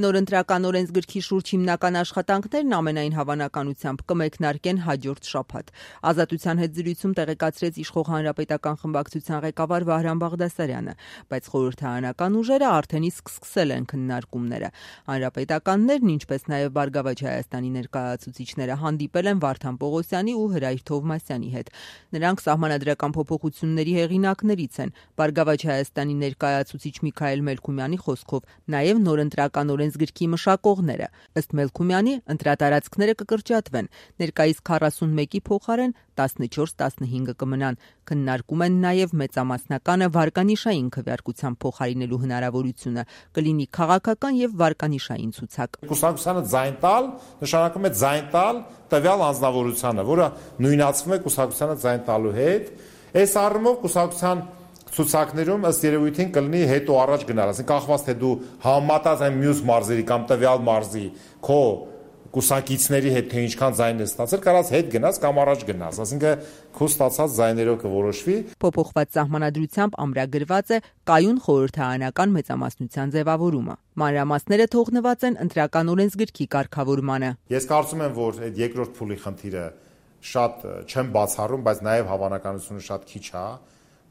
Նոր ընտրական օրենսգրքի շուրջ հիմնական աշխատանքներն ամենայն հավանականությամբ կմեկնարկեն հաջորդ շաբաթ։ Ազատության հետ զրույցում տեղեկացրեց իշխող հանրապետական խմբակցության ղեկավար Վահրամ Բաղդասարյանը, բայց խորհրդարանական ուժերը արդեն իսկ սկսել են քննարկումները։ Հանրապետականներն, ինչպես նաև Բարգավաճ Հայաստանի ներկայացուցիչները հանդիպել են Վարդան Պողոսյանի ու Հրայր Թովմասյանի հետ։ Նրանք սահմանադրական փոփոխությունների հեղինակներից են։ Բարգավաճ Հայաստանի ներկայացուցիչ Միքայել Մելքումյանի խոսքով նաև նոր ընտրական օրենսգրքի մշակողները։ Ըստ Մելքումյանի, ընտրատարածքները կկրճատվեն, ներկայիս 41-ի փոխարեն 14-15 կմնան։ Քննարկում են նաև մեծամասնականը վարկանիշային քվեարկությամբ փոխարինելու հնարավորությունը, կլինի քաղաքական եւ վարկանիշային ցուցակ։ Կուսակցությանը ձայն տալ նշանակում է ձայն տալ տվյալ անձնավորությանը, որը նույնացվում է կուսակցությանը ձայն տալու հետ։ Այս առումով կուսակցության ցուցակներում ըստ երևույթին կլինի հետո առաջ գնալ, ասենք կախված թե դու համեմատած այն մյուս մարզերի կամ տվյալ մարզի քո կուսակիցների հետ թե ինչքան ձայն ես ստացել, կարաս հետ գնաս կամ առաջ գնաս, ասինքն քո ստացած ձայներով կորոշվի։ Փոփոխված սահմանադրությամբ ամրագրված է կայուն խորհրդարանական մեծամասնության ձևավորումը։ Մանրամասները թողնված են ընտրական օրենսգրքի կարգավորմանը։ Ես կարծում եմ, որ այդ երկրորդ փուլի խնդիրը շատ չեմ բացառում, բայց նաև հավանականությունը շատ քիչ է,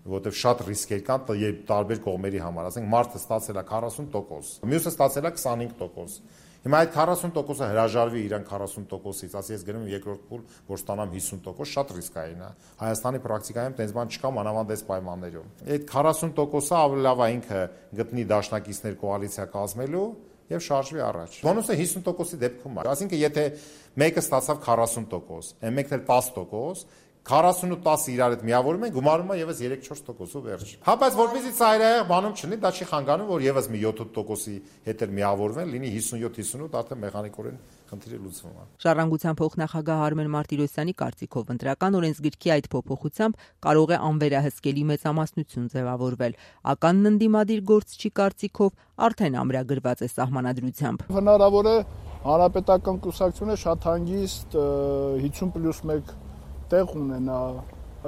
որովհետև շատ ռիսկեր կան տարբեր կողմերի համար, ասենք մարդը ստացել է 40%, մյուսը ստացել է 25%։ Հիմա այդ 40%-ը հրաժարվի իրան 40%-ից, ասի ես գնում եմ երկրորդ փուլ, որ ստանամ 50%, շատ ռիսկային է։ Հայաստանի պրակտիկայում տենց բան չկա, մանավանդ այս պայմաններում։ Այդ 40%-ը ավելի լավ է ինքը գտնի դաշնակիցներ կոալիցիա կազմելու եւ շարժվի առաջ։ Բոնուսը 50%-ի դեպքում է։ Այսինքն եթե մեկը ստացավ 40%, այն մեկն էլ 10%, 40 ու 10 իրար հետ միավորում են, գումարում է եւս 3-4%-ով վերջ։ Հա, բայց որպեսզի ծայրահեղ բանում չլինի, դա չի խանգարում, որ եւս մի 7%-ի հետ էլ միավորվեն, լինի 57-58, արդեն մեխանիկորեն խնդիրը լուծվում է։ Ժառանգության փոխնախագահ Արմեն Մարտիրոսյանի կարծիքով ընտրական օրենսգրքի այդ փոփոխությամբ կարող է անվերահսկելի մեծամասնություն ձևավորվել։ Ականն ընդդիմադիր գործչի կարծիքով արդեն ամրագրված է սահմանադրությամբ։ Հնարավոր է հանրապետական կուսակցությունը շատ հանգիստ 50+1 տեղ ունենա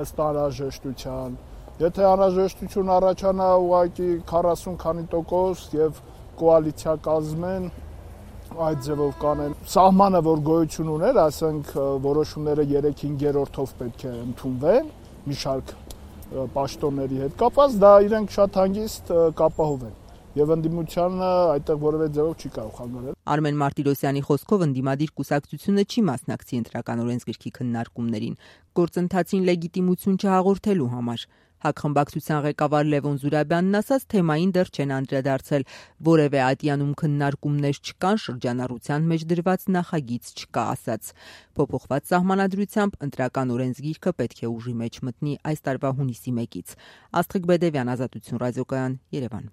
ըստ անհրաժեշտության։ Եթե անհրաժեշտություն առաջանա ուղղակի 40 քանի տոկոս եւ կոալիցիա կազմեն, այդ ձևով կանեն։ Սահմանը, որ գոյություն ուներ, ասենք որոշումները 3/5-ով պետք է ընդունվեն, մի շարք պաշտոնների հետ կապված, դա իրենք շատ հանգիստ կապահովեն։ Եվ ընդդիմությանը այդտեղ որևէ ձևով չի կարող խանգարել։ Արմեն Մարտիրոսյանի խոսքով ընդդիմադիր կուսակցությունը չի մասնակցի ընտրական օրենսգրքի քննարկումներին, գործընթացին լեգիտիմություն չհաղորդելու համար։ Հակխմբակցության ղեկավար Լևոն Զուրաբյանն ասաց, թեմային դեռ չեն անդրադարձել, որևէ ատյանում քննարկումներ չկան, շրջանառության մեջ դրված նախագիծ չկա, ասաց։ Փոփոխված սահմանադրությամբ ընտրական օրենսգիրքը պետք է ուժի մեջ մտնի այս տարվա հունիսի 1-ից։ Աստղիկ Բեդևյան, Ազատություն ռադիոկայան, Երևան։